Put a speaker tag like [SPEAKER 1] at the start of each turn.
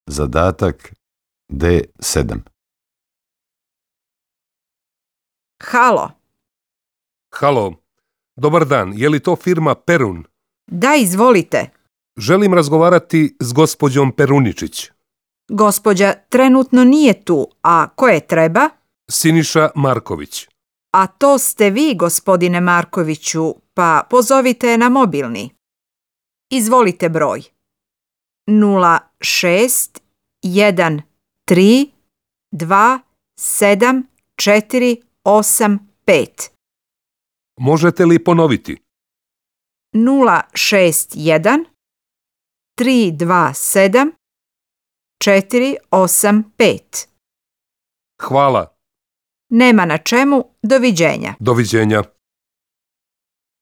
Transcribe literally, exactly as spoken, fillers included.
[SPEAKER 1] Zadatak D sedam.
[SPEAKER 2] Halo.
[SPEAKER 3] Halo, dobar dan, je li to firma Perun?
[SPEAKER 2] Da, izvolite.
[SPEAKER 3] Želim razgovarati s gospođom Peruničić.
[SPEAKER 2] Gospođa trenutno nije tu, a ko je treba?
[SPEAKER 3] Siniša Marković.
[SPEAKER 2] A to ste vi, gospodine Markoviću, pa pozovite je na mobilni. Izvolite broj. nula šest jedan tri dva sedam četiri osam pet.
[SPEAKER 3] Možete li ponoviti?
[SPEAKER 2] nula šest jedan tri dva sedam četiri osam pet.
[SPEAKER 3] Hvala.
[SPEAKER 2] Nema na čemu, doviđenja.
[SPEAKER 3] Doviđenja.